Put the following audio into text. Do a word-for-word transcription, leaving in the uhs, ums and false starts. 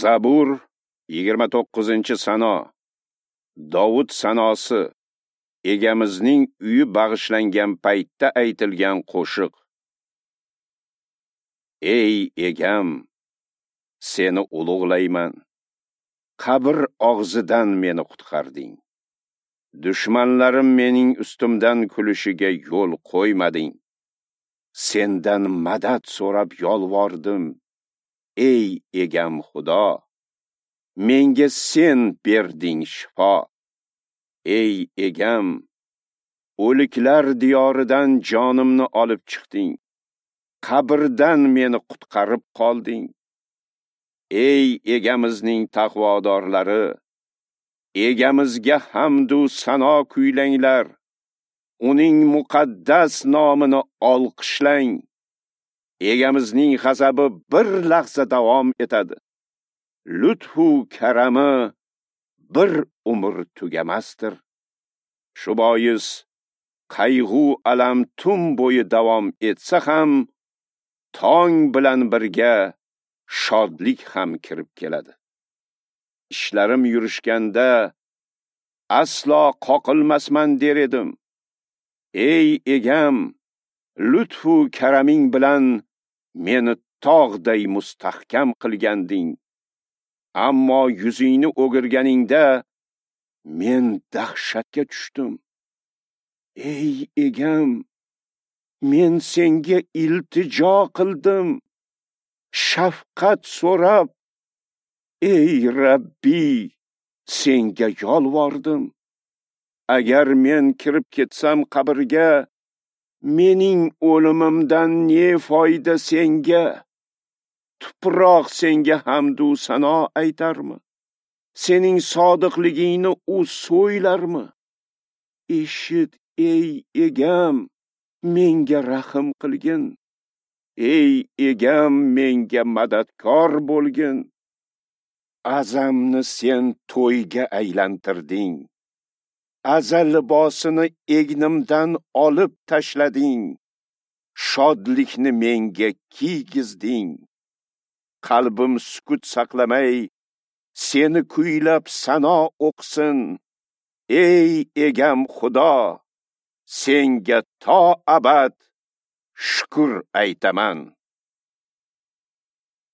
Zabur yigirma to'qqizinchi sano. Dovud sanosi. Egamizning uyi bag'ishlangan paytda aytilgan qo'shiq. Ey egam, seni ulug'layman. Qabr og'zidan meni qutqarding. Dushmanlarim mening ustimdan kulishiga yo'l qo'ymading. Sendan madad so'rab yolvordim. Ey egam Xudo, menga sen berding shifo. Ey egam, o'liklar diyoridan jonimni olib chiqding. Qabrdan meni qutqarib qolding. Ey egamizning taqvodorlari, egamizga hamd u sano kuylanglar. Uning muqaddas nomini olqishlang. Egamizning g'azabi bir lahza davom etadi. Lutfu karami bir umr tugamasdir. Shu bois qayg'u alam tun bo'yi davom etsa ham, tong bilan birga shodlik ham kirib keladi. Ishlarim yurishganda aslo qoqilmasman der edim. Ey egam, lutfu karaming bilan meni tog'day mustahkam qilganding. Ammo yuzingni o'girganingda men dahshatga tushdim. Ey egam, men senga iltijo qildim, shafqat so'rab, ey Rabbi, senga yolvordim. Agar men kirib ketsam qabrga, mening o'limimdan ne foyda senga? Tuproq senga hamd u sano aytarmi? Sening sodiqligingni u so'ylarmi? Eshit, ey egam, menga rahm qilgin. Ey egam, menga madadkor bo'lgin. Azamni sen to'yga aylantirding. Aza libosini egnimdan olib tashlading. Shodlikni menga kiygizding. Qalbim sukut saqlamay, seni kuylab sano o'qisin. Ey egam Xudo, senga to abad shukr aytaman.